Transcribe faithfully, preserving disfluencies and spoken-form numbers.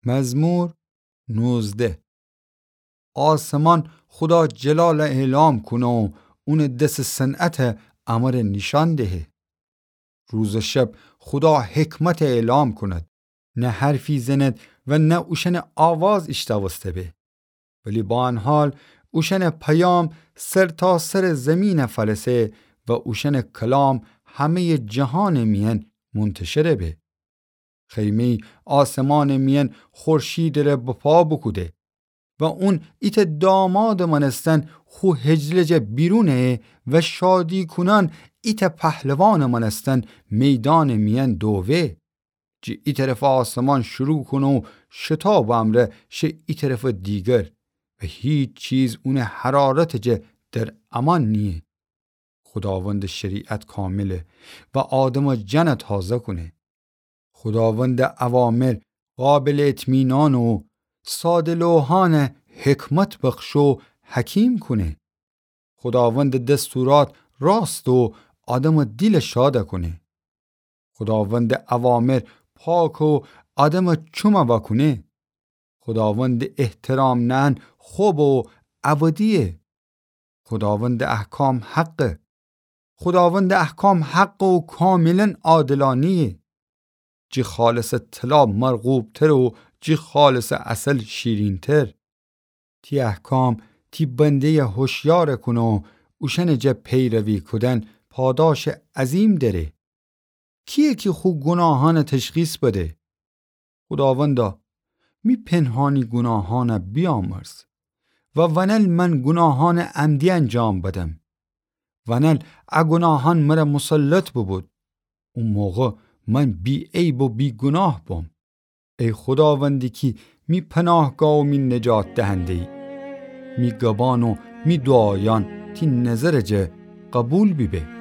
مزمور نوزده. آسمان خودا جلالَ اعلام کونه و اونٚ دسٚ صنعتَ امره نیشأن دهه. روز و شب خودا حکمتَ اعلام کند. نه حرفی زند و نه اوشأنٚ آواز ایشتاوسته به. ولی با ان حال اوشأنٚ پیام سرتاسرٚ زیمینَ فلسه و اوشأنٚ کلام همه‌یٚ جهانٚ میأن منتشر به. خیمه‌یی آسمانٚ میأن خورشیدٚ ره بپا بوکوده و اون ایتأ دامادٚ مأنستن خو حجله جا بیرون ایه و شادی‌کونأن ایتأ پهلوانٚ مأنستن میدانٚ میأن دووه. جٚه ای طرفٚ آسمان شروع کونه و شتابٚ امرأ شه ای طرفٚ دیگر و هیچ چیز اونٚ حرارتٚ جا در امان نییه. خوداوندٚ شریعت کامله و آدمٚ جانَ تازه کونه. خوداوندٚ اوامر قابلٚ اطمینانه و ساده‌لوحأنَ حکمت بخشه و حکیم کونه. خوداوندٚ دستورات راسته و آدمٚ دیلَ شادَ کونه. خوداوندٚ اوامر پاکه و آدمٚ چومَ واکونه. خوداوندٚ احترام نأن خوبه و ابدییه. خوداوندٚ احکام حقه. خوداوندٚ احکام حقه و کاملاً عادلأنه‌یه. جٚه خالصٚ طلا مرغوب‌تر و جٚه خالصٚ عسل شیرین‌تر. تی احکام تی بنده‌یَ هوشیارَ کونه و اوشأنٚ جا پیروی کودن پاداشٚ عظیم دأره. کییه کی خو گوناهأنَ تشخیص بده؟ خوداوندا، می پنهانی گوناهأنَ بیامرز و ونل من گوناهأنٚ عمدی انجام بدم. ونل ا گوناهأن مرَ مسلط بوبود. او موقع من بی‌عیب و بی‌گوناه بوم. ای خوداوندی کی می پناهگاه و می نجات دهنده‌یی، می گبان و می دوعایأن تی نظرٚ جا قبول بیبه.